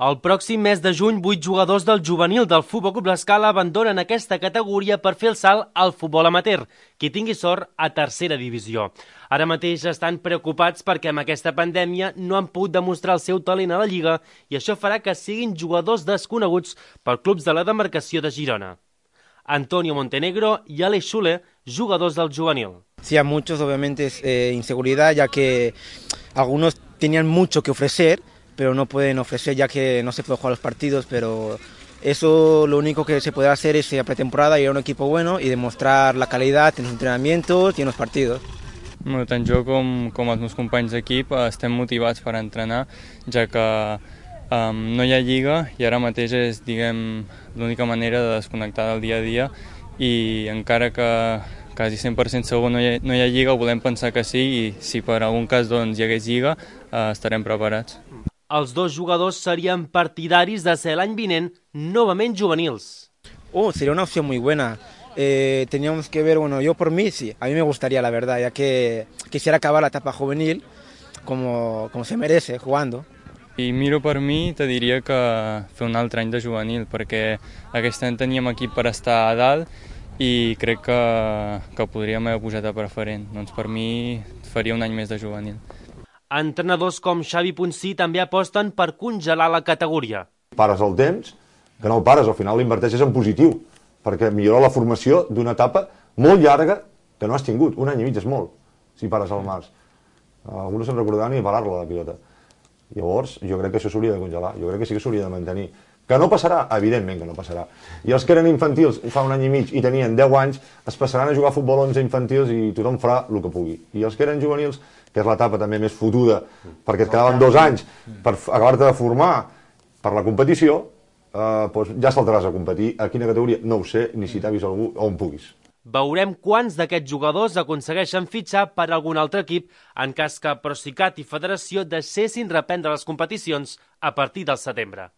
El pròxim mes de juny, 8 jugadors del juvenil del Futbol Club L'Escala abandonen aquesta categoria per fer el salt al futbol amateur, qui tingui sort a tercera divisió. Ara mateix estan preocupats perquè amb aquesta pandèmia no han pogut demostrar el seu talent a la Lliga i això farà que siguin jugadors desconeguts per clubs de la demarcació de Girona. Antonio Montenegro y Alex Schule, jugadors del juvenil. Sí, a muchos obviamente es inseguridad, ya que algunos tenían mucho que ofrecer, pero no pueden ofrecer ya que no se puede jugar los partidos, pero eso lo único que se puede hacer es a pretemporada ir a un equipo bueno y demostrar la calidad en los entrenamientos y en los partidos. Bueno, tant jo com els meus companys d'equip estem motivats per entrenar, ja que no hi ha lliga i ara mateix és, diguem, l'única manera de desconnectar del dia a dia i encara que quasi 100% segur no hi ha lliga, volem pensar que sí i si per algun cas doncs, hi hagués lliga estarem preparats. Els dos jugadors serien partidaris de ser l'any vinent novament juvenils. Sería una opción muy buena. Teníamos que ver, bueno, yo por mí sí, a mí me gustaría la verdad, ya que quisiera acabar la etapa juvenil como se merece, jugando. I miro per mi, te diria que fer un altre any de juvenil, perquè aquest any teníem equip per estar a dalt i crec que podríem haver pujat a preferent. Doncs per mi faria un any més de juvenil. Entrenadors com Xavi Ponsí també aposten per congelar la categoria. Pares el temps, que no el pares, al final l'inverteixes en positiu, perquè millora la formació d'una etapa molt llarga que no has tingut. Un any i mig és molt, si pares al març. Alguns se'n recordaran ni parar-la, la pilota. Llavors, jo crec que això s'hauria de congelar, jo crec que sí que s'hauria de mantenir. Que no passarà? Evidentment que no passarà. I els que eren infantils fa un any i mig i tenien 10 anys, es passaran a jugar a futbol 11 infantils i tothom farà el que pugui. I els que eren juvenils, que és l'etapa també més fotuda, perquè et quedaven 2 anys per acabar-te de formar per la competició, doncs ja saltaràs a competir. A quina categoria? No ho sé, ni si t'ha vist algú on puguis. Veurem quants d'aquests jugadors aconsegueixen fitxar per algun altre equip en cas que Procicat i Federació deixessin reprendre les competicions a partir del setembre.